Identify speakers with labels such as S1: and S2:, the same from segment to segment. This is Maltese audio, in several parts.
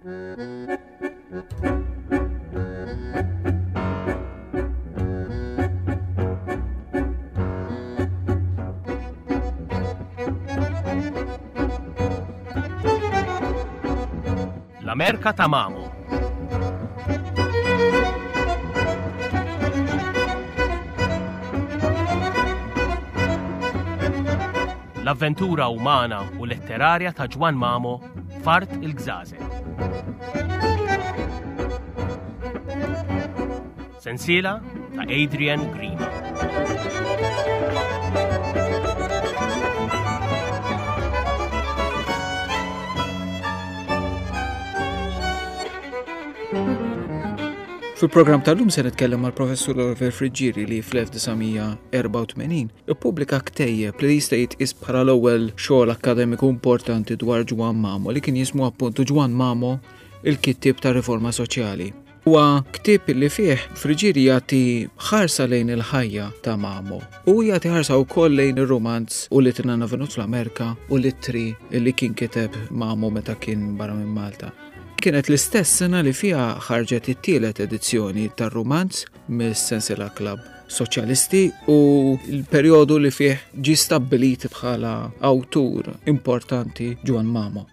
S1: L-Amerka ta' Mamo. L-avventura umana u letterarja ta' Ġwann Mamo f'Art il-Gżażel. Sensiela ta' Adrian Grima.
S2: Fil-programm tal-lum se nitkellem mal-Professur Oliver Friggieri li fl-1984 ippubblika ktejjeb li jista' jitqies bħala l-ewwel xogħol akkademiku importanti dwar Ġwann Mamo li kien jismu appuntu Ġwann Mamo il-kittieb tar-Riforma Soċjali. Huwa ktieb li fih Friggieri jagħti ħarsa lejn il-ħajja ta' Mamo u jagħti ħarsa wkoll lejn ir-rumanz u li tinna venut fl-Amerika u l-ittri li kien kiteb Mamo meta kien barra minn Malta. Kienet l-istess sena li fiha ħarġet it-tielet edizzjoni tar-rumanz mis-Sensiela Club Soċjalisti u l-perjodu li fih ġie stabbilit bħala awtur importanti Ġwann Mamo.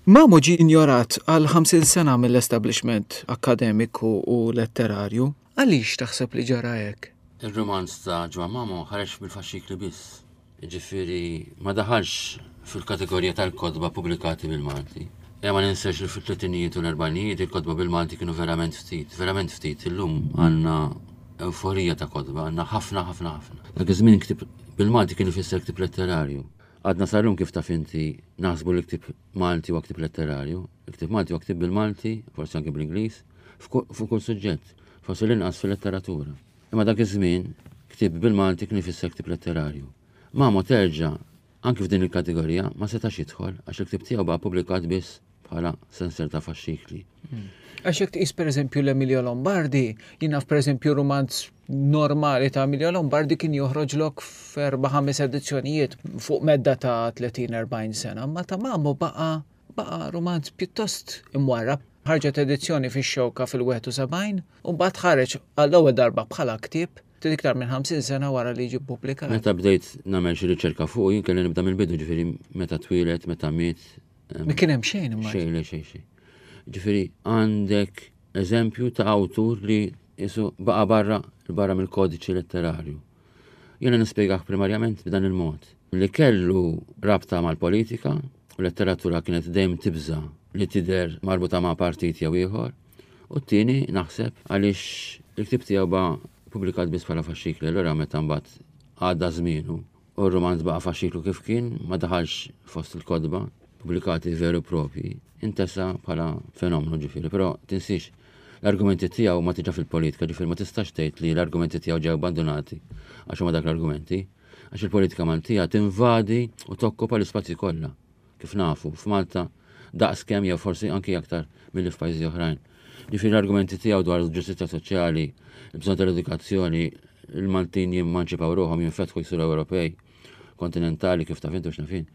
S2: Mamo ġie injorat għal 50 sena mill-establishment akkademiku u letterarju. Għaliex taħseb li ġara hekk?
S3: Ir-rumanz ta' Ġwann Mamo ħareġ bil-faxxikli biss. Jiġifieri ma daħalx fil-kategorija tal-kotba pubblikati bil-Malti. Ejja ma ninsewx li fit-tletinijiet u l-erbgħinijiet il-kotba bil-Malti kienu verament ftit, verament ftit. Illum għandna ewforija ta' kotba, għandna ħafna ħafna ħafna. Dak iż-żmien ktieb bil-Malti kien ifisser ktieb letterarju. Għadna sal-lum kif taf inti naħsbu li ktieb Malti huwa ktieb letterarju. Il-ktieb Malti huwa ktieb bil-Malti, forsi anke bl-Ingliż, fuq kull suġġett, forsi l-inqas fil-letteratura. Imma dak iż-żmien, ktieb bil-Malti kien ifisser ktieb letterarju. Mamo terġa', anki f'din il-kategorija, ma setax jidħol għax il-ktieb tiegħu baqa' ppubblikat biss bħala senser ta' faxxikli.
S2: Għax jekk tqis pereżempju l-Emilio Lombardi, jien naf pereżempju rumanz normali ta' Emilio Lombardi kien joħroġlok f'erba' ħames edizzjonijiet fuq medda ta' 30-40 sena, imma ta' Mamo baqa' Baqa' rumanz pjuttost imwarrab. Ħarġet edizzjoni fix-Xewka fil-71 u mbagħad ħareġ għall-ewwel darba bħala ktieb ftit iktar minn 50 sena wara li ġie ppubblikat.
S3: Meta bdejt nagħmel xi riċerka fuqu jien kelli nibda mill-bidu, ġifieri meta twieled, meta miet.
S2: Ma kien hemm xejn imma.
S3: Xejn, le xejn xejn. Ġifieri għandek eżempju ta' awtur li qisu baqa' barra barra mill-kodiċi letterarju. Jiena nispjegah primarjament b'dan il-mod. Li kellu rabta mal-politika u letteratura kienet dejjem tibża' li tidher marbuta ma' partit jew ieħor. U t-tieni naħseb għaliex il-ktieb tiegħu ba' pubblikat biss bħala faxxikli, allura meta mbagħad għadda żmienu u r-rumanz baqa' faxxiklu kif kien, ma daħalx fost il-kotba pubblikati veru propji, intesa bħala fenomenu ġifieri, però tinsiex l-argumenti tiegħu ma tiġa fil-politika, ġifieri ma tistax tgħid li l-argumenti tiegħu ġew abbandunati għax huma dak l-argumenti, għax il-politika Maltija tinvadi u tokkupa l-ispazji kollha. Kif nafu, f'Malta daqs kemm jew forsi anki aktar milli f'pajjiżi oħrajn. Ġifieri l-argumenti tiegħu dwar il-ġustizzja soċjali, il-bżonn tal-edukazzjoni, il-Maltin jimmanċipaw ruħhom, jinfetħu jsiru Ewropej, kontinentali kif taf intu x'naf jien.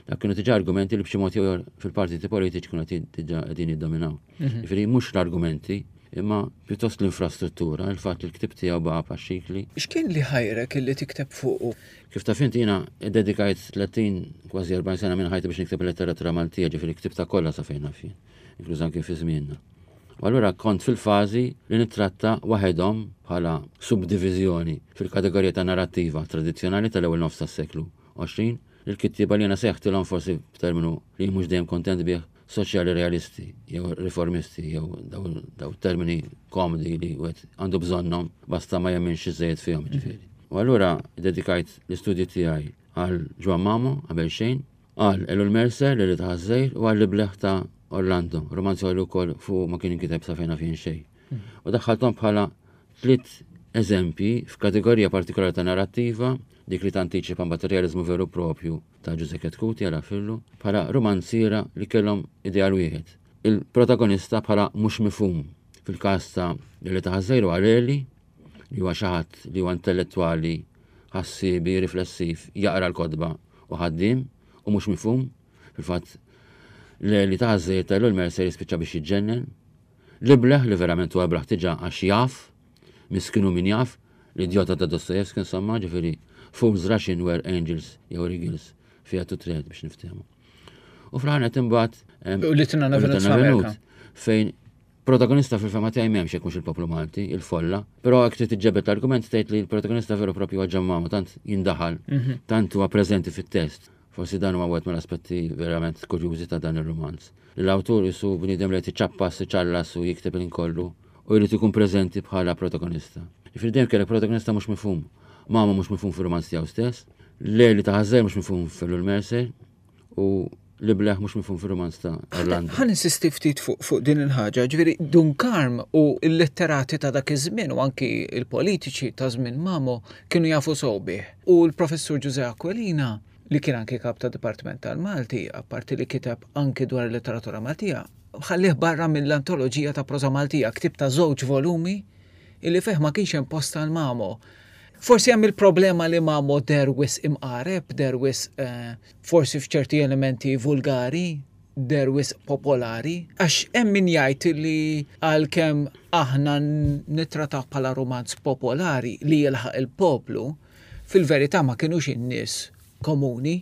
S3: Dak kienu diġà argumenti li b'xi mod jew fil-partiti politiċi kienu qed diġà qegħdin jiddominaw. Mhm. Ġifieri mhux l-argumenti, imma pjuttost l-infrastruttura, il-fatt li l-ktib tiegħu baqa' paxxikli.
S2: X'kien li ħajrek illi tikteb fuqu?
S3: Kif taf inti jiena ddedikajt 30 kważi 40 sena minn ħajti biex nikteb il-letteratura Maltija, ġifieri ktibtha kollha sa fejn naf jien, inkluż anke fi żmienna. U allura kont fil-fażi li nittratta waħedhom bħala subdiviżjoni fil-kategorija ta' narrattiva tradizzjonali tal-ewwel nofs tas-seklu 20 lill-kittieba li jiena sejħtilhom forsi b'terminu li jien mhux dejjem kontent bih soċjali realisti jew riformisti jew daw termini komdi li wieħed għandu bżonnhom basta ma jemminx iżejjed fihom ġifieri. U allura dedikajt l-istudji tiegħi għal Ġwann Mamo qabel xejn Għal Ellul Mercer, Lili ta' Ħaż-Żgħir, u għal L-Ibleħ ta' Orlando, romanzi li wkoll fuq ma kien inkiteb sa fejn naf jien xejn. U daħħalthom bħala tliet eżempji f'kategorija partikolari ta' narrattiva, dik li tantiċipa mbagħad ir-realiżmu veru propju ta' Ġużè Chetcuti għal Fillu, bħala rumanziera li kellhom ideal wieħed. Il-protagonista bħala mhux mifhum fil-każ ta' Lili ta' Ħaż-Żgħir u għal Eli, li huwa xi ħadd li huwa intellettwali, ħassiebi, riflessiv, jaqra l-kotba u ħaddiem u mhux mifhum. Fil-fatt, Li ta' żejjed ta' Ellul Mercer jispiċċa biex jiġġennen. L-ibleħ li verament huwa iblaħ diġà għax jaf, miskin hu min jaf, l-idjota ta' Dostoevsky insomma, ġifieri fools rush in where angels jew eagles fear to tread biex niftehmu. U fl-aħħar nett imbagħad
S2: U li tinna Venut
S3: fejn protagonista fil-fema tiegħi m'hemmx jekk mhux il-poplu Malti, il-folla, però hekk trid iġġebed l-argument tgħid li l-protagonista veru propju huwa ġammama tant jindaħal, tant huwa preżenti fit-test. Forsi dan huwa wieħed mill-aspetti verament kurjużi ta' dan ir-rumanz. Li l-awtur isu bniedem li qed iċappas, iċallas u jikteb il kollu u jrid ikun preżenti bħala protagonista. Jiġifieri dejjem kellek protagonista mhux mifhum. Mama mhux mifhum fir-rumanz tiegħu stess, Leli ta' Ħażżejr mhux mifhum f'Ellul Mercer u l-ibleħ mhux mifhum fir-rumanz ta' Orlando.
S2: Ħa ninsisti ftit fuq din il-ħaġa, ġifieri Dun Karm u l-letterati ta' dak iż-żmien u anki l-politiċi ta' żmien Mamo kienu jafu sew bih. U l-Professur Ġużè Aquilina, li kien anki kap ta' Dipartiment tal-Malti, apparti li kiteb anki dwar il-letteratura Maltija, ħallih barra mill-antoloġija ta' proża Maltija, ktieb ta' żewġ volumi illi fih ma kienx hemm post għal Mamo. Forsi hemm il-problema li Mamo deher wisq imqareb, deher wisq eh, forsi f'ċerti elementi vulgari, deher wisq popolari, għax hemm min jgħid li għalkemm aħna nittrataw bħala rumanz popolari li jilħaq il-poplu, fil-verità ma kinux in-nies komuni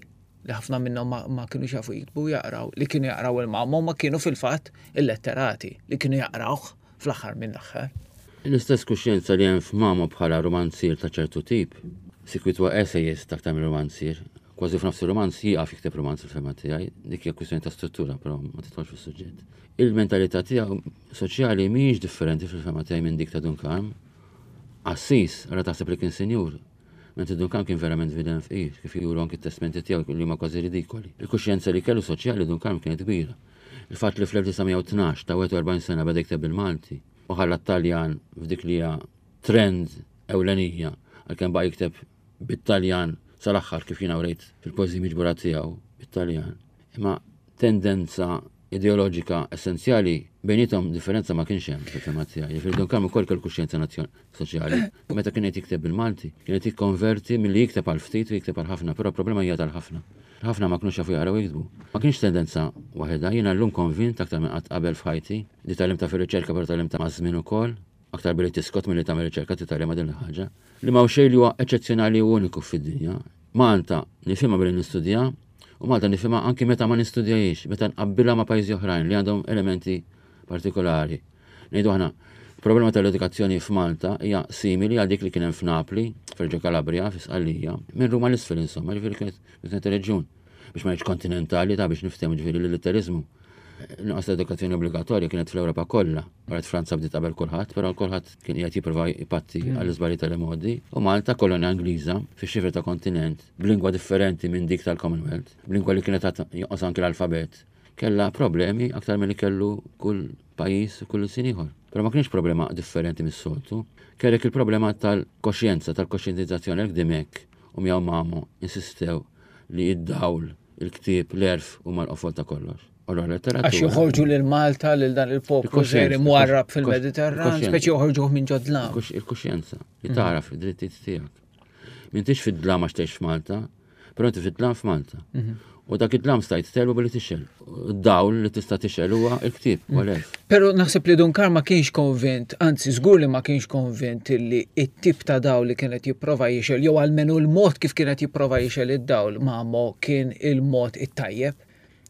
S2: li ħafna minnhom ma, ma kinux jafu jiktbu u jaqraw, li kienu jaqraw il-Mamo ma kienu fil-fatt il-letterati li kienu jaqrawh fl-aħħar mill-aħħar.
S3: L-istess kuxjenza li hemm f'Mamo bħala rumanzier ta' ċertu tip, sikwit huwa essayist aktar minn rumanzier, kważi f'nofs ir-rumanz jieqaf jikteb rumanz fil-fehma tiegħi, dik hija kwistjoni ta' struttura però ma tidħolx fis-suġġett. Il-mentalità tiegħu soċjali mhijiex differenti fil-fehma tiegħi minn dik ta' Dun Karm. Qassis, ara taħseb li kien sinjur, mentri Dun Karm kien verament bniedem fqir, kif juru anki t-testmenti tiegħu li huma kważi ridikoli. Il-kuxjenza li kellu soċjali Dun Karm kienet kbira. Il-fatt li fl-1912 ta' 41 sena beda jikteb bil-Malti u ħalla t-Taljan f'dik li hija trend ewlenija għalkemm baqa' jikteb bit-Taljan sal-aħħar kif jiena wrejt fil-poeżiji miġbura tiegħu bit-Taljan. Imma tendenza ideoloġika essenzjali bejniethom differenza ma kienx hemm fil-fehma tiegħi. Jiġifieri Dun Karm ukoll kellu kuxjenza soċjali. Meta kien qed jikteb bil-Malti, kien qed jikkonverti milli jikteb għal ftit u jikteb għal ħafna, però problema hija tal-ħafna. Ħafna ma kinux jafu jaqraw jiktbu. Ma kienx tendenza waħedha, jiena llum konvint aktar minn qatt qabel f'ħajti, li tgħallimtha fir-riċerka però tgħallimtha maż-żmien ukoll, aktar billi tiskot milli tagħmel riċerka titgħallimha din il-ħaġa, li m'hawn xejn li huwa eċċezzjonali u uniku fid-dinja. Malta nifhimha billi nistudja u Malta nifhimha anki meta ma nistudjahiex, meta nqabbilha ma' pajjiżi oħrajn li għandhom elementi partikolari. Ngħidu aħna, problema tal-edukazzjoni f'Malta hija simili għal dik li kien hemm f'Napli, f'Reġġo Calabria, fi Sqallija, minn Ruma l-isfel insomma, ġifieri kienet reġjun biex ma ngħidx kontinentali ta' biex niftehmu ġifieri l-litteriżmu. Nuqqas ta' edukazzjoni obbligatorja kienet fl-Ewropa kollha. Wara Franza bdiet qabel kulħadd, però kulħadd kien qiegħed jipprova jpatti mm. għall-iżbalji tal-imgħoddi. U Malta kolonja Ingliża fix-xifer ta' kontinent b'lingwa differenti minn dik tal-Commonwealth, b'lingwa li kienet jonqos anki l-alfabet, kellha problemi aktar milli kellu kull pajjiż u kull sin ieħor. Però ma kienx problema differenti mis-soltu. Kellek il-problema tal-koxjenza, tal-koxjentizzazzjoni għalhekk Dimek u miegħu Mamo insistew li id-dawl il-ktieb, l-għerf huma l-qofol ta' kollox.
S2: Allora letteratura. Għax joħorġu lil Malta lil dan il-poplu ġeri mwarrab fil-Mediterran, speċi joħorġuh minn ġodlam.
S3: Il-kuxjenza li mhm. tagħraf id-drittijiet tiegħek. M'intix fid-dlam għax tgħix f'Malta, però inti fid-dlam f'Malta. Mhm. U dak id-dlam stajt telbu billi tixel. Dawl li tista' tixel huwa il-ktieb, u mm. l
S2: Però naħseb li Dun Karl ma kienx konvint, anzi żgur li ma kienx konvint li it-tip ta' dawl li kienet jipprova jixel, jew almenu l-mod kif kienet jipprova jixel id-dawl Mamo kien il-mod it-tajjeb.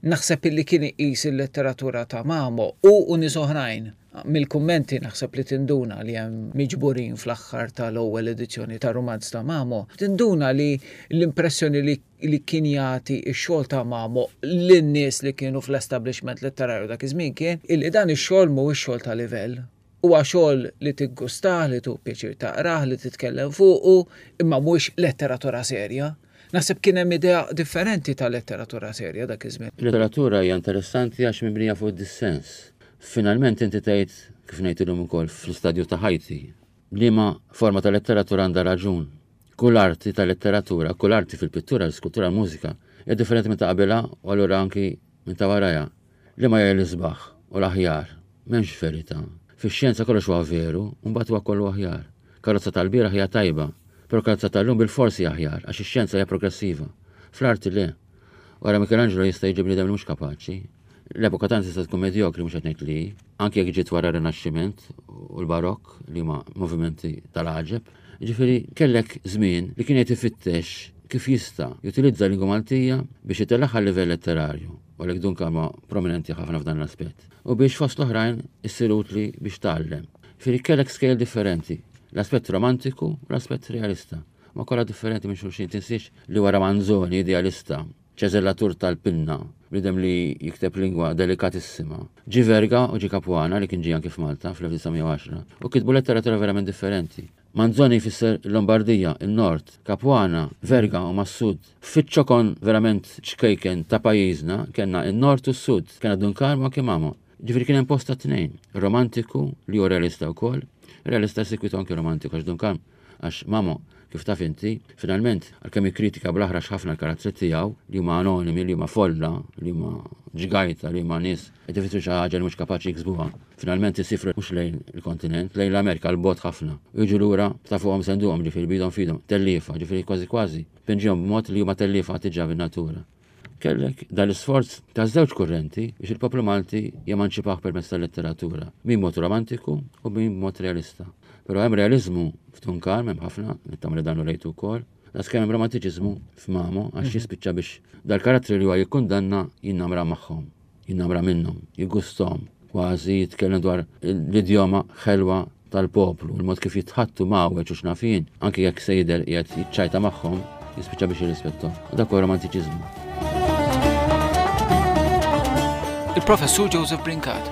S2: Naħseb illi kien iqis il-letteratura ta' Mamo u u nies oħrajn. Mill-kummenti naħseb li tinduna li hemm miġburin fl-aħħar tal-ewwel edizzjoni tar-rumanz ta' Mamo, tinduna li l-impressjoni li li kien jagħti x-xogħol ta' Mamo lin-nies li kienu fl-establishment letterarju dak iż-żmien kien illi dan ix-xogħol mhuwiex xogħol ta' livell. Huwa xogħol li tiggustah, li tieħu pjaċir taqrah, li titkellem fuqu, imma mhuwiex letteratura serja. Naħseb kien hemm idea differenti ta' letteratura serja dak iż-żmien.
S3: Il-letteratura hija interessanti għax mibnija fuq id-dissens. Finalment inti tgħid, kif ngħid illum ukoll fl-istadju ta' ħajti, Liema forma ta' letteratura għandha raġun? Kull arti ta' letteratura, kull arti fil-pittura, l-iskultura, l-mużika, hija differenti minn ta' qabilha u allura anki minn ta' warajha. Liema hija l-isbaħ u l-aħjar? M'hemmx verità. Fix-xjenza kollox huwa veru u mbagħad huwa kollu aħjar. Karozza tal-bieraħ hija tajba, però karozza tal-lum bilfors hija aħjar għax ix-xjenza hija progressiva. Fl-arti le. Wara Michelangelo jista' jiġi bniedem li mhux kapaċi. L-epoka tagħna tista' tkun medjokri mhux qed ngħid li anke jekk ġiet wara r-Rinaxximent u l-Barokk li huma movimenti tal-għaġeb. Ġifieri kellek żmien li kien qed ifittex kif jista' jutilizza l-lingwa Maltija biex itellagħha livell letterarju, u għalhekk Dun Karm prominenti ħafna f'dan l-aspett. U biex fost l-oħrajn issir utli biex tgħallem. Ġifieri kellek skejjel differenti, l-aspett romantiku u l-aspett realista. Ma kollha differenti minn xulxin, tinsiex li wara Manzoni idealista, ċeżellatur tal-pinna, bniedem li jikteb lingwa delikatissima. Ġie Verga u ġie Capuana li kien ġie anki f'Malta fl-1910 u kitbu letteratura verament differenti. Manzoni jfisser il-Lombardija, il-Nord, Capuana, Verga huma s-Sud. Fiċ-ċokon verament ċkejken ta' pajjiżna kellna n-Nord u s-Sud, kellna Dun Karm u anki Mamo. Ġifieri kien hemm post tat-tnejn, romantiku li hu realista wkoll, realista segwitu anki romantiku għax Dun Karm Għax Mamo, kif taf inti, finalment, għalkemm jikkritika bl-aħrax ħafna l-karattri tiegħu, li huma anonimi, li huma folla, li huma ġgajta, li huma nies qed ifittxu xi ħaġa li mhux kapaċi jiksbuha, finalment isifru mhux lejn il-kontinent, lejn l-Amerika, 'l bogħod ħafna. U jiġu lura ta' fuqhom senduqhom, ġifieri b'idhom f'idhom, telliefa, ġifieri kważi kważi pinġihom b'mod li huma telliefa diġà bin-natura. Kellek dan l-isforz ta' żewġ kurrenti biex il-poplu Malti jemanċipah permezz tal-letteratura, min b'mod romantiku u min b'mod realista. Però hemm realiżmu f'Dun Karm, hemm ħafna, nittama li dan urejtu wkoll, daqskemm hemm romantiċiżmu f'Mamo għax jispiċċa biex dal-karattri li huwa jikkundanna jinnamra magħhom. Jinnamra minnhom, jiggusthom, kważi jitkellem dwar l-idjoma ħelwa tal-poplu, il-mod kif jitħattu mgħawweġ u x'naf jien, anki jekk se jidher qiegħed jiċċajta magħhom, jispiċċa biex jirrispetthom. U dak huwa romantiċiżmu.
S2: Il-Professur Joseph Brincat.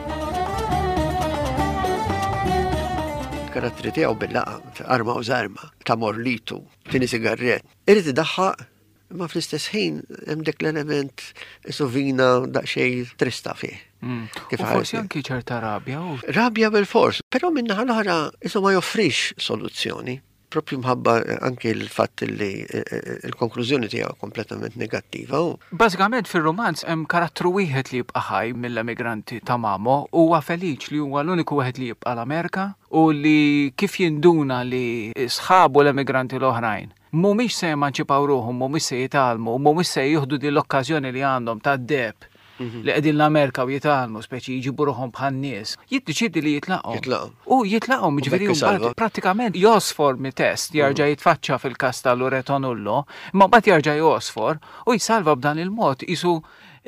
S4: Il-karattri tiegħu bil-laqa, arma u żarma, ta' morlitu, tieni sigarret. Irid idaħħaq Imma fl-istess ħin hemm dik l-element suvina daqsxejn trista fih.
S2: Mm. Kif forsi anki ċerta rabja.
S4: Rabja bil-fors, però minnaħa l-oħra isu ma joffrix soluzzjoni. Propju mħabba anki l-fatt li eh, eh, l-konklużjoni tiegħu kompletament negattiva.
S2: Bażikament fir-rumanz hemm karattru wieħed li jibqa' ħaj mill-emigranti ta' Mamo huwa Feliċ li huwa l-uniku wieħed li jibqa' l-Amerika u li kif jinduna li sħabu l-emigranti l-oħrajn mhumiex se jemanċipaw ruħhom, mhumiex se jitgħallmu, mhumiex se jieħdu din l-okkażjoni li għandhom tad-deheb mhm. li qegħdin l-Amerika u jitgħallmu, speċi jġibu ruħhom bħal nies, jiddeċiedi li jitlaqhom.
S4: Jitlaqhom.
S2: U jitlaqhom, ġifieri mbagħad prattikament josfor mit-test, jerġa' mhm. jitfaċċa fil-każ ta' Loreto Nullo, imma mbagħad jerġa' josfor u jsalva b'dan il-mod isu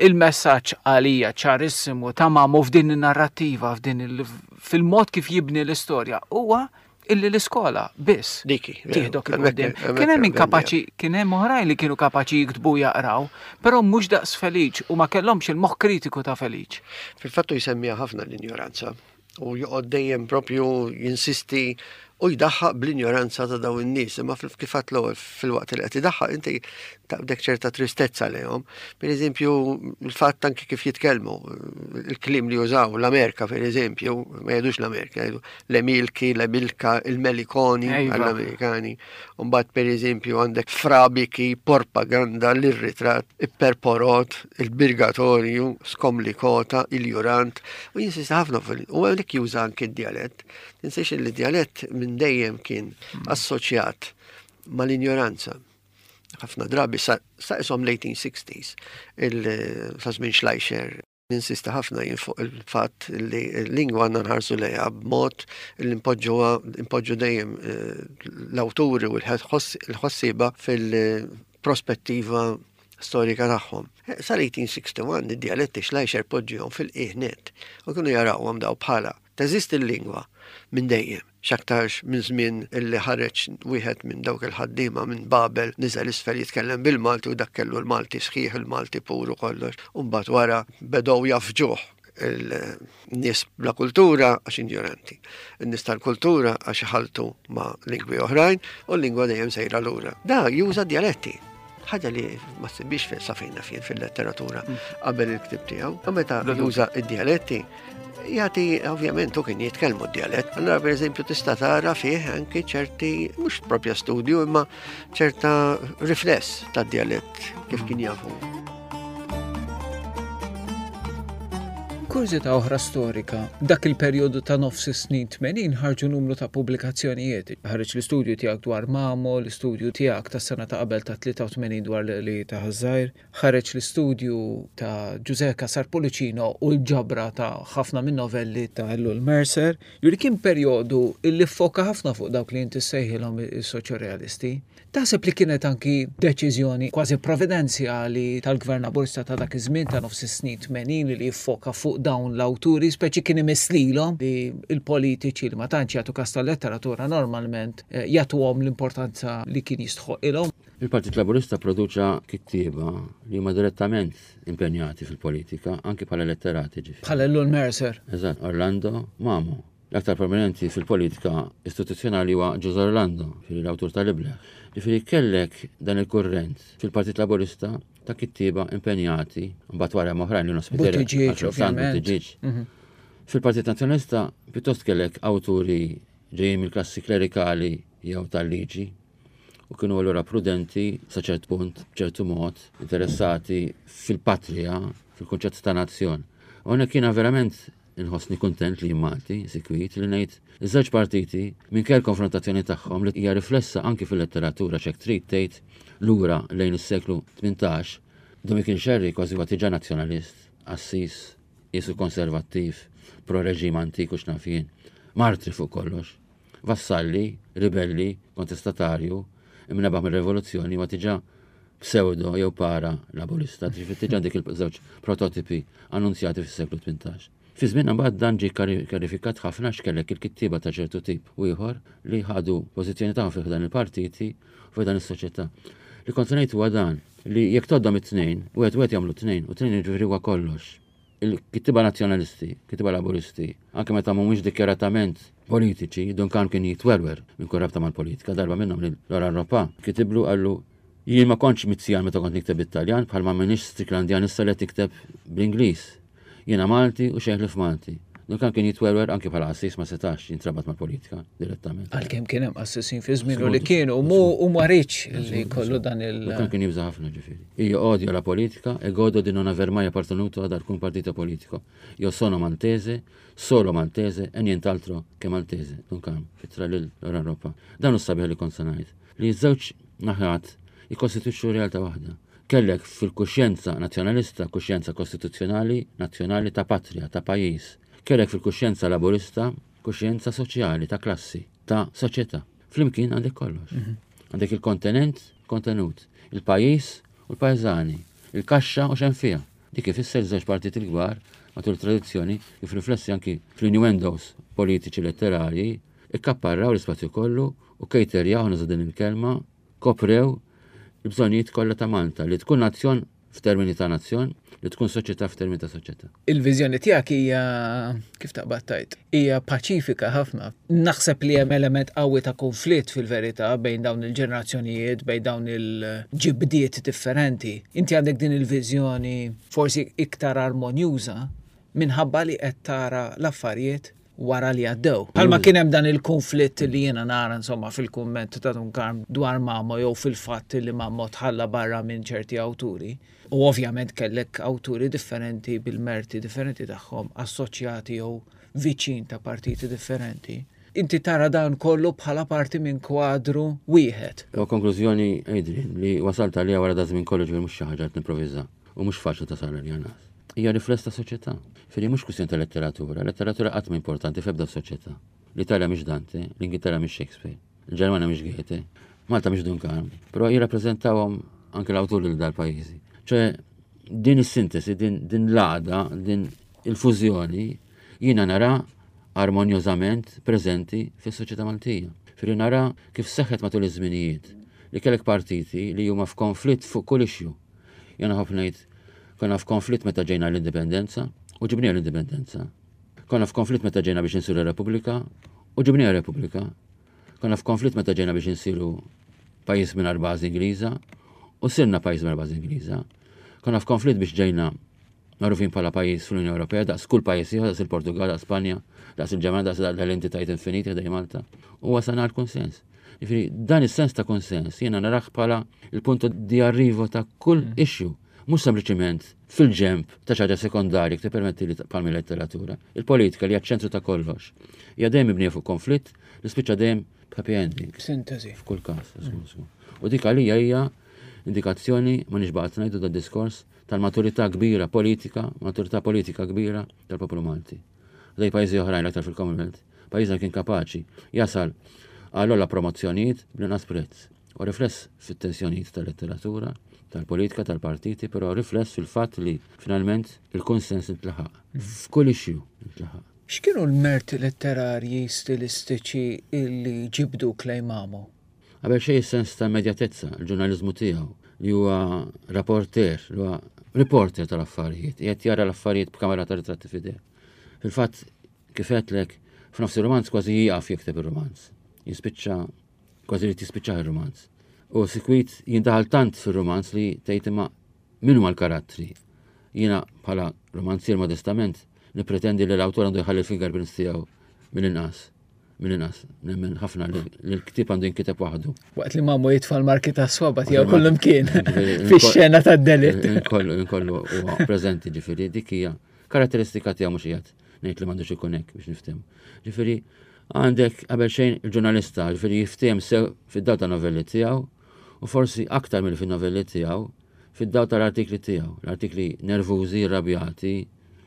S2: il-messaġġ għalija ċarissimu ta' mamu f'din in-narrattiva, f'din fil-mod kif jibni l-istorja huwa illi l-iskola biss
S4: Diki,
S2: tieħdok il qudiem. Kien hemm kapaċi, kien hemm oħrajn li kienu kapaċi jiktbu jaqraw, però mhux daqs Feliċ u ma kellhomx il-moħħ kritiku ta' Feliċ.
S4: Fil-fattu jsemmiha ħafna l-injoranza u joqgħod dejjem propju jinsisti u jdaħħaq bl-injoranza ta' dawn in-nies, imma kif għadt l-ewwel filwaqt li qed idaħħaq inti taqbdek ċerta tristezza lejhom. Per eżempju, il-fatt anki kif jitkellmu, il-kliem li jużaw l-Amerika per eżempju, ma jgħidux l-Amerika, jgħidu l-Emilki, l-Emilka, il-Melikoni għall-Amerikani. Mbagħad per eżempju għandek frabiki, propaganda, l-irritrat, ipperporot, il-birgatorju, skomlikota, il-jurant, u jinsista ħafna fil u għalhekk juża anki d-djalett. Tinsiex li d-djalett minn dejjem kien assoċjat mal-injoranza. Ħafna drabi sa isom l-1860s, sa żmien Schleicher, ninsista ħafna jien fuq il-fatt li l-lingwa għandna nħarsu lejha b'mod li npoġġuha npoġġu dejjem eh, l-awturi u l-ħossieba fil-prospettiva storika tagħhom. Eh, sal-1861 id-dialetti Schleicher poġġihom fil-qiegħ net u kienu jarawhom daw bħala teżisti l-lingwa minn dejjem. X'aktarx minn żmien illi ħareġ wieħed minn dawk il-ħaddiema minn Babel niżel isfel jitkellem bil-Malti u dak kellu l-Malti sħiħ, il-Malti pur u kollox. U mbagħad wara bedew jafġuh il-nies bla kultura għax injoranti. In-nies tal-kultura għax iħalltu ma' lingwi oħrajn u l-lingwa dejjem sejra lura. Da juża djaletti. Ħaġa li ma ssibix sa fejn naf jien fil-letteratura mm. qabel il-ktib tiegħu. U meta juża id-dialetti, jagħti ovvjament u kien jitkellmu d-dialett. Allora pereżempju tista' tara fih anki ċerti mhux propja studju imma ċerta rifless tad-dialett kif kien jafu.
S2: Kurżità oħra storika, dak il-perjodu ta' nofs is-snin 80 ħarġu numru ta' pubblikazzjonijiet. Ħareġ l-istudju tiegħek dwar Mamo, l-istudju tiegħek tas-sena ta' qabel ta' 83 dwar li ta' Ħaż-Żgħir, ħareġ l-istudju ta' Ġużè Cassar Pullicino u l-ġabra ta' ħafna min-novelli ta' Ellul Mercer. Jiġifieri kien perjodu li ffoka ħafna fuq dawk li inti ssejħilhom is-soċjorealisti. Taħseb li kienet anki deċiżjoni kważi providenzjali tal-Gvern Laburista ta' dak iż-żmien ta' nofs is-snin 80 li jiffoka fuq dawn l-awturi, speċi kien imiss lilhom li l-politiċi li ma tantx jagħtu kas tal-letteratura normalment eh, jagħtuhom l-importanza li kien jistħoqilhom?
S3: Il-Partit Laburista produċa kittieba li huma direttament impenjati fil-politika, anki bħala letterati ġifieri.
S2: Bħala Ellul Mercer.
S3: Eżatt, Orlando Mamo. L-aktar prominenti fil-politika istituzzjonali huwa Ġużè Orlando, ġifieri l-awtur tal-Ibleħ. Ġifieri kellek dan il-kurrent fil-Partit Laburista ta' kittieba impenjati, mbagħad wara hemm oħrajn li
S2: Spiteri, Buttigieg, ovvjament.
S3: Buttigieg. Mhm. Fil-Partit Nazzjonalista pjuttost kellek awturi ġejjin mill-klassi klerikali jew tal-liġi u kienu allura prudenti sa ċert punt, b'ċertu mod, interessati fil-patrija, fil-kunċett ta' nazzjon. U hawnhekk jiena verament Inħossni kuntent li jien Malti, sikwit, li ngħid li ż-żewġ partiti, minkejja l-konfrontazzjoni tagħhom li hija riflessa anki fil-letteratura x'hekk trid tgħid lura lejn is-seklu 18, Dom Mikiel Xerri kważi huwa diġà nazzjonalist, qassis, qiesu konservattiv, pro-reġim antik u x'naf jien, martri fuq kollox. Vassalli, ribelli, kontestatarju, imnebaħ mir-rivoluzzjoni huwa diġà pseudo jew para laburista, ġifieri diġà dik il-żewġ prototipi annunzjati fis-seklu 18. Fi żmienna mbagħad dan ġie kjarifikat ħafna għax kellek il-kittieba ta' ċertu tip u ieħor li ħadu pożizzjoni tagħhom fi ħdan il-partiti u fi ħdan is-soċjetà. Li kont se ngħid huwa dan li jekk tgħoddhom it-tnejn, wieħed wieħed jagħmlu tnejn u tnejn jiġifieri huwa kollox. Il-kittieba Nazzjonalisti, kittieba Laburisti, anke meta mhumiex dikjaratament politiċi, Dun Karm kien jitwerwer minn kull rabta mal-politika, darba minnhom lil Laurent Roppa kitiblu qallu jien ma kontx Mizzjan meta kont nikteb bit-Taljan bħalma m'iniex Stricklandian issa li qed nikteb bl-Ingliż. Jiena Malti u xejn ħlief Malti. Dun Karm kien jitwerwer anke bħala qassis ma setax jintrabat mal-politika direttament.
S2: Għalkemm kien hemm qassisin fi żmienu li kienu mu u ma riedx li jkollu dan il.
S3: Dun Karm kien jibża' ħafna ġifieri. Io odio la politica e godo di non aver mai appartenuto ad alcun partito politico. Io sono maltese, solo maltese e nient'altro che maltese. Dun Karm, fittra lil Laurent Roppa. Dan hu s-sabiħ li kont se ngħid. Li ż-żewġ naħat jikkostitwixxu realtà waħda. Kellek fil-kuxjenza nazzjonalista kuxjenza kostituzzjonali, nazzjonali ta' patrija, ta' pajjiż. Kellek fil-kuxjenza laburista kuxjenza soċjali, ta' klassi, ta' soċjetà. Flimkien għandek kollox. Mhm. Għandek il-kontenent, kontenut, il-pajjiż u l-pajżani, il-kaxxa u x'hemm fiha. Dik ifisser żewġ partiti l-kbar matul tradizzjoni kif riflessi anki fl-innuendos politiċi letterarji ikkapparraw l-ispazju kollu u kejterjaw nuża din il-kelma koprew il-bżonnijiet kollha ta' Malta li tkun nazzjon f'termini ta' nazzjon, li tkun soċjetà f'termini ta' soċjetà.
S2: Il-viżjoni tiegħek hija kif taqbad tgħid, hija paċifika ħafna. Naħseb li hemm element qawwi ta' konflitt fil-verità bejn dawn il-ġenerazzjonijiet, bejn dawn il-ġibdiet differenti. Inti għandek din il-viżjoni forsi iktar armonjuża minħabba li qed tara l-affarijiet wara li għaddew. Bħalma kien hemm dan il-konflitt li jiena nara insomma fil-kumment ta' Dun Karm dwar Mamo jew fil-fatt li Mamo tħalla barra minn ċerti awturi. U ovvjament kellek awturi differenti bil-merti differenti tagħhom assoċjati jew viċin ta' partiti differenti. Inti tara dan kollu bħala parti minn kwadru wieħed.
S3: U konklużjoni, Adrian, li wasalt għaliha wara da żmien kollu ġifieri mhux xi ħaġa qed nimprovviża u mhux faċli tasal għaliha nas. Hija rifless ta' soċjetà. Ġifieri mhux kwistjoni ta' letteratura, letteratura qatt ma importanti f'ebda soċjetà. L-Italja mhix Dante, l-Ingilterra mhix Shakespeare, il-Ġermanja mhix Goethe, Malta mhix Dun Karm, però jirrappreżentawhom anke l-awturi lil dal-pajjiżi. ċe din is-sintesi, din, din l-għaqda, din il-fużjoni jiena nara armonjożament preżenti fis-soċjetà Maltija. Firri nara kif seħħet matul iż-żminijiet li kellek partiti li huma f'konflitt fuq kull issue. Jiena nħobb ngħid konna f'konflitt meta ġejna l-indipendenza u ġibniha l-indipendenza. Konna f'konflitt meta ġejna biex insiru Repubblika u ġibniha Repubblika. Konna f'konflitt meta ġejna biex insiru pajjiż mingħajr bażi Ingliża u sirna pajjiż mingħajr bażi Ingliża. Konna f'konflitt biex ġejna magħrufin bħala pajjiż fl-Unjoni Ewropea daqs kull pajjiż ieħor, daqs il-Portugal, daqs Spanja, daqs il-Ġermanja, daqs l-entitajiet infiniti ħdej Malta. U wasalna għal konsens. Jiġifieri dan is-sens ta' konsens jiena narah bħala il-punto di arrivo ta' kull mm. issue. Mhux sempliċiment fil-ġenb ta' xi ħaġa sekondarja jekk tippermetti li bħal letteratura. Il-politika li hija ċ-ċentru ta' kollox. Hija dejjem mibnija fuq konflitt li spiċċa dejjem b'happy ending.
S2: Sintesi.
S3: F'kull każ. U dik għalija hija indikazzjoni, ma nix baqgħet ngħidu da diskors, tal-maturità kbira politika, maturità politika kbira tal-poplu Malti. Dej pajjiżi oħrajn l-aktar fil-Commonwealth, pajjiżna kien kapaċi jasal għal ogħla promozzjonijiet bl-inqas prezz. U rifless fit-tensjonijiet tal-letteratura, tal-politika, tal-partiti, però rifless fil-fatt li finalment il-konsens intlaħaq. F'kull issue intlaħaq.
S2: X'kienu l-merti letterarji stilistiċi illi ġibduk lejn Mamo?
S3: Qabel xejn is-sens ta' immedjatezza, il-ġurnaliżmu tiegħu li huwa rapporter, li huwa reporter tal-affarijiet, qiegħed jara l-affarijiet b'kamera ta' ritratti f'idejh. Fil-fatt, kif għedtlek, f'nofs ir-rumanz kważi jieqaf jikteb ir-rumanz. Jispiċċa kważi li tispiċċa ir-rumanz. U sikwit jindaħal tant fir-rumanz li tgħid imma min huma l-karattri. Jiena bħala romanzier modestament nippretendi li l-awtur għandu jħalli l-fingerprints tiegħu mill-inqas. Mill-inqas, nemmen ħafna li l-ktieb għandu jinkiteb waħdu.
S2: Waqt li mamu jitfa' l-marki ta' swaba tiegħu kullum kien fix-xena tad-delitt.
S3: Inkollu huwa preżenti ġifieri dik hija karatteristika tiegħu mhux qiegħed ngħid li m'għandux ikun hekk biex niftehmu. Ġifieri għandek qabel xejn il-ġurnalista ġifieri jiftehim sew fid-dawl ta' novelli tiegħu u forsi aktar mill fin-novelli tiegħu fid-dawl tal-artikli tiegħu, l-artikli nervużi, irrabjati,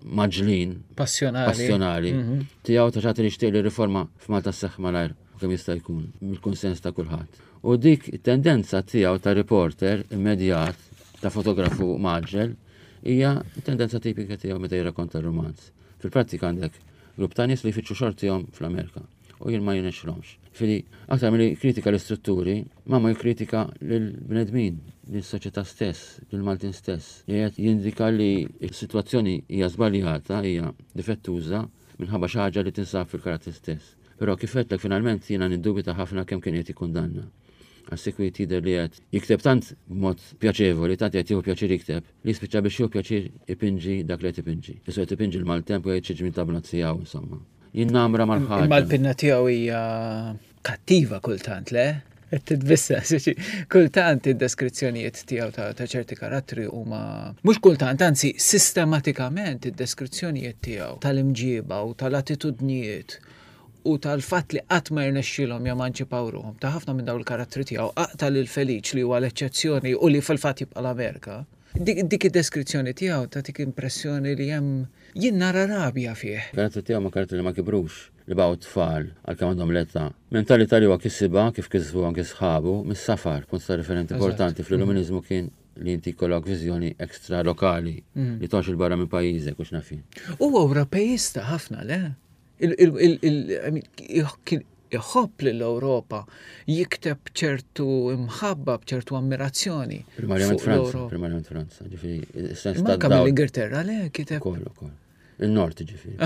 S3: maġlin,
S2: passjonali,
S3: passjonali mhm. tiegħu ta' xagħti li xtieq li riforma f'Malta sseħħ malajr kemm jista' jkun mill-kunsens ta' kulħadd. U dik it-tendenza tiegħu ta' reporter immedjat ta' fotografu maġġel hija tendenza tipika tiegħu meta jirrakkonta r-romanz. Fil-prattika għandek grupp ta' nies li jfittxu xortihom fl-Amerika u jien ma jirnexxilhomx. Ġifieri, aktar milli jikkritika l-istrutturi, Mamo jikkritika lill-bnedmin, lis-soċjetà stess, lill-Maltin stess. Qiegħed jindika li s-sitwazzjoni hija żbaljata, hija difettuża minħabba xi ħaġa li tinsab fil-karattri stess. Però kif għedtlek finalment jiena niddubita ħafna kemm kien qiegħed jikkundanna. Għax sikwit jidher li qed jikteb tant b'mod pjaċevoli, tant qed jieħu pjaċir jikteb, li jispiċċa biex jieħu pjaċir ipinġi dak li qed ipinġi. Qisu qed ipinġi l-maltemp u jgħid xi ġmiel ta' bnazzi hawn insomma. Jinnamra mal-ħaġa.
S2: Imma l-pinna tiegħu hija kattiva kultant, le? Qed titbissa, kultant id-deskrizzjonijiet tiegħu ta' ċerti karattri huma mhux kultant, anzi sistematikament id-deskrizzjonijiet tiegħu tal-imġiba u tal-attitudnijiet u tal-fatt li qatt ma jirnexxilhom jemanċipaw ruħhom ta' ħafna minn dawn il-karattri tiegħu aqta' lil Feliċ li huwa l-eċċezzjoni u li fil-fatt jibqa' l-Amerika. Dik id-deskrizzjoni tiegħu tagħtik impressjoni li hemm jien nara rabja fih.
S3: Karattri tiegħu ma karattri li ma kibrux, li baqgħu tfal għalkemm għandhom l-età. Mentalità li huwa kisibha, kif kisbu anke sħabu, mis-safar, punt ta' riferiment importanti fl-Illuminizmu kien li inti jkollok viżjoni ekstra lokali li toqgħodx 'il barra minn pajjiżek u x'naf jien.
S2: Huwa Ewropeista ħafna, le? Kien iħobb lill-Ewropa, jikteb b'ċertu imħabba, b'ċertu ammirazzjoni.
S3: Primarjament Franza, primarjament Franza, ġifieri,
S2: is-sens ta' Anke mill-Ingilterra, le, kiteb.
S3: Ukoll, ukoll. Il-Nord, ġifieri.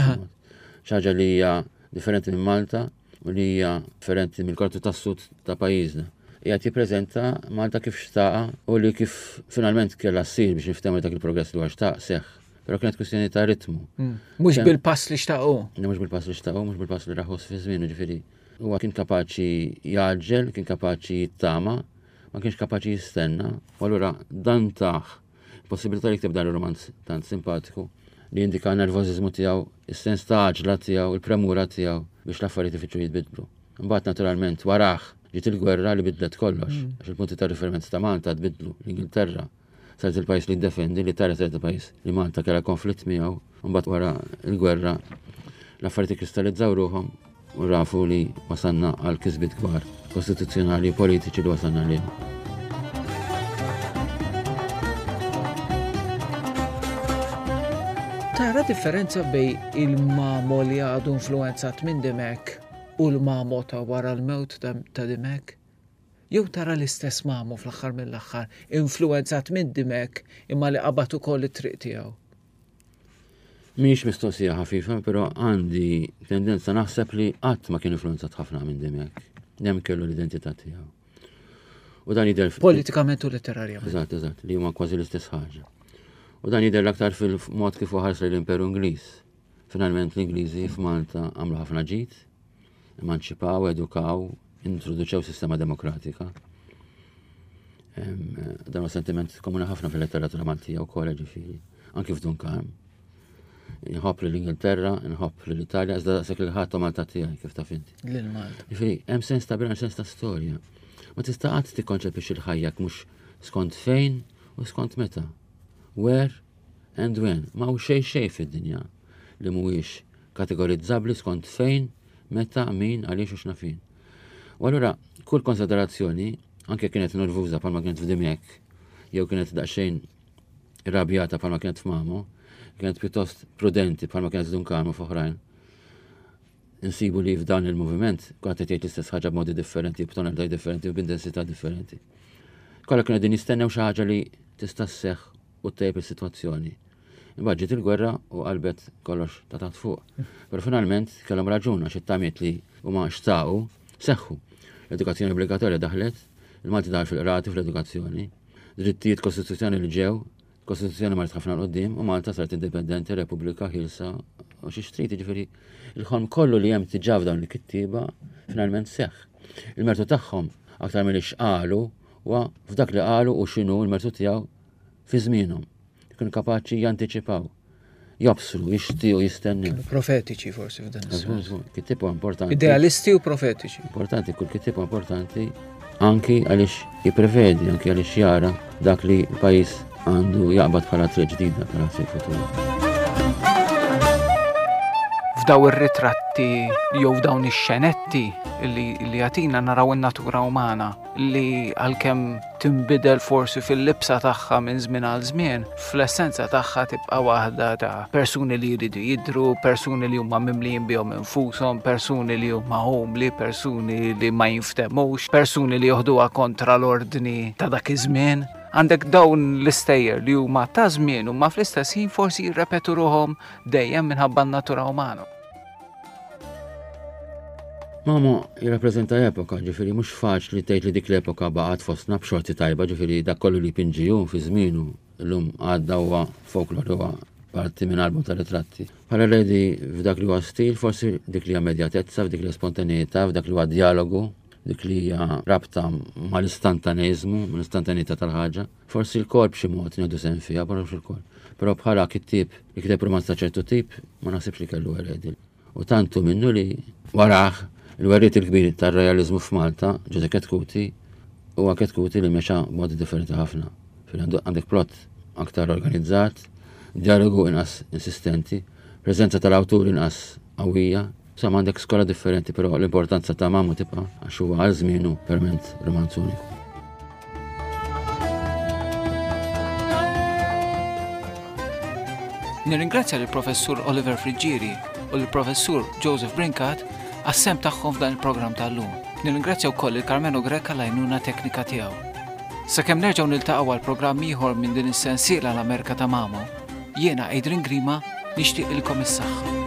S3: Xi ħaġa li hija differenti minn Malta u li hija differenti mill-kartu tas-sud ta' pajjiżna. Qiegħed jippreżenta Malta kif xtaqa u li kif finalment kellha ssir biex niftehmu dak il-progress li huwa xtaq seħħ. Però kienet kwistjoni ta' ritmu.
S2: Mm. Mhux bil-pass li xtaqu.
S3: Mhux bil-pass li xtaqu, mhux bil-pass li raħus fi żmien, ġifieri. Huwa kien kapaċi jaġġel, kien kapaċi jittama, ma kienx kapaċi jistenna. U allura dan taħ possibilità li jikteb dan ir-romanz tant simpatiku li jindika nervożiżmu tiegħu, is-sens ta' għaġla tiegħu, il-premura tiegħu biex l-affarijiet ifittxu jitbidlu. Imbagħad naturalment warah ġiet il-gwerra li bidlet kollox, mm. għax il-punti ta' riferiment ta' Malta tbidlu, l-Ingilterra saret il-pajjiż li ddefendi, l-Italja saret il-pajjiż li Malta kellha konflitt miegħu, mbagħad wara l-gwerra l-affarijiet ikkristallizzaw ruħhom u rafu li wasalna għal kisbiet kbar kostituzzjonali u politiċi li wasalna lihom.
S2: Tara differenza bej il-mamo li għadu influenzat minn Dimek u l-mamo ta' wara l-mewt ta' Dimek? Jew tara l-istess Mamo fl-aħħar mill-aħħar, influwenzat minn Dimech imma li qabad ukoll it-triq tiegħu?
S3: Mhijiex mistoqsija ħafifa, però għandi tendenza naħseb li qatt ma kien influwenzat ħafna minn Dimech. Dejjem kellu l-identità tiegħu.
S2: U dan jidher politikament u letterarjament.
S3: Eżatt, eżatt, li huma kważi l-istess ħaġa. U dan jidher l-aktar fil-mod kif ħares l-Imperu Ingliż. Finalment l-Ingliżi f'Malta għamlu ħafna ġid, emanċipaw, edukaw, introduċew sistema demokratika. Dan huwa sentiment komuni ħafna fil-letteratura Maltija wkoll ġifieri, anki f'Dun Karm. Nħobb l-Ingilterra, nħobb l-Italja, iżda daqshekk lil ħadd Malta tiegħi kif taf inti.
S2: Lil Malta.
S3: Ġifieri, hemm sens ta' bilanċ, sens ta' storja. Ma tista' qatt tikkonċepix il-ħajja mhux skont fejn u skont meta. Where and when. Ma hu xejn xejn fid-dinja li mhuwiex kategorizzabbli skont fejn, meta, min, għaliex u x'nafin. U allura kull konsiderazzjoni, anke kienet nervuża bħalma kienet f'Dimek, jew kienet daqsxejn irrabjata bħalma kienet f'Mamo, kienet pjuttost prudenti bħalma kienet f'Dun Karmu f'oħrajn. Insibu li f'dan il-moviment kulħadd qed jgħid l-istess ħaġa b'modi differenti, b'tonalità differenti u b'intensità differenti. Kollha kienu qegħdin jistennew xi ħaġa li tista' sseħħ u ttejjeb is-sitwazzjoni. Imbagħad ġiet il-gwerra u qalbet kollox ta' taħt fuq. Però finalment kellhom raġun għax it-tamiet li huma xtaqu seħħu. L-edukazzjoni obbligatorja daħlet, il-Malti daħal fil-qrati fl-edukazzjoni, drittijiet kostituzzjoni li ġew, kostituzzjoni marret ħafna l-qoddim u Malta saret indipendenti, Repubblika ħielsa u xi xtrid, jiġifieri il-ħolm kollu li hemm diġà f'dawn il-kittieba finalment seħħ. Il-mertu tagħhom aktar milli x'qalu huwa f'dak li qalu u x'inhu l-mertu tiegħu fi żmienhom. Kienu kapaċi jantiċipaw, jobsru, jixtiequ, jistennew.
S2: Kienu profetiċi forsi f'dan
S3: is-sens. Kittieb huwa importanti.
S2: Idealisti u profetiċi.
S3: Importanti, kull kittieb huwa importanti anki għaliex jipprevedi, anki għaliex jara dak li l-pajjiż għandu jaqbad bħala triq ġdida, bħala triq futura.
S2: F'daw ir-ritratti jew f'dawn ix-xenetti li jagħtina naraw in-natura umana li għalkemm tinbidel forsi fil-libsa tagħha minn żmien għal żmien, fl-essenza tagħha tibqa' waħda ta' persuni li jridu jidhru, persuni li huma mimlijin bihom infushom, persuni li huma umli, persuni li ma jinftemux, persuni li joħduha kontra l-ordni ta' dak iż-żmien. Għandek dawn l-istejjer li huma ta' żmien huma fl-istess ħin forsi jirrepetu ruħhom dejjem minħabba n-natura umana.
S3: Mamo jirrappreżenta epoka, ġifieri mhux faċli tgħid li dik l-epoka baqgħet fostna b'xorti tajba, ġifieri dak kollu li jpinġi hu fi żmienu llum għadda huwa folklor huwa parti minn album ta' ritratti. Bħala eredi f'dak li huwa stil, forsi dik li hija immedjatezza, f'dik li hija spontaneità, f'dak li huwa djalogu, dik li hija rabta mal-istantaneiżmu, mal-istantaneità tal-ħaġa. Forsi lkoll b'xi mod nieħdu sehem fiha, però mhux ilkoll. Però bħala kittieb li kiteb rumanz ta' ċertu tip, ma naħsibx li kellu eredi. U tant hu minnu li warah il-werriet il-kbir tar-realiżmu f'Malta, Ġużè Chetcuti, huwa Chetcuti li mexa b'modi differenti ħafna. Għandek plot aktar organizzat, dialogu inqas insistenti, preżenza tal-awtur inqas qawwija. Insomma għandek skola differenti, però l-importanza ta' Mamo tibqa' għax huwa għal żmienu verament romanz uniku.
S2: Nirringrazzja lill-Professur Oliver Friggieri u lill-Professur Joseph Brincat għas-sehem tagħhom f'dan il-programm tal-lum. Nirringrazzja wkoll lil Karmenu Grech għall-għajnuna teknika tiegħu. Sakemm nerġgħu niltaqgħu għal programm ieħor minn din is-sensiela l-Amerika ta' Mamo, jiena Adrian Grima nixtieqilkom is-saħħa.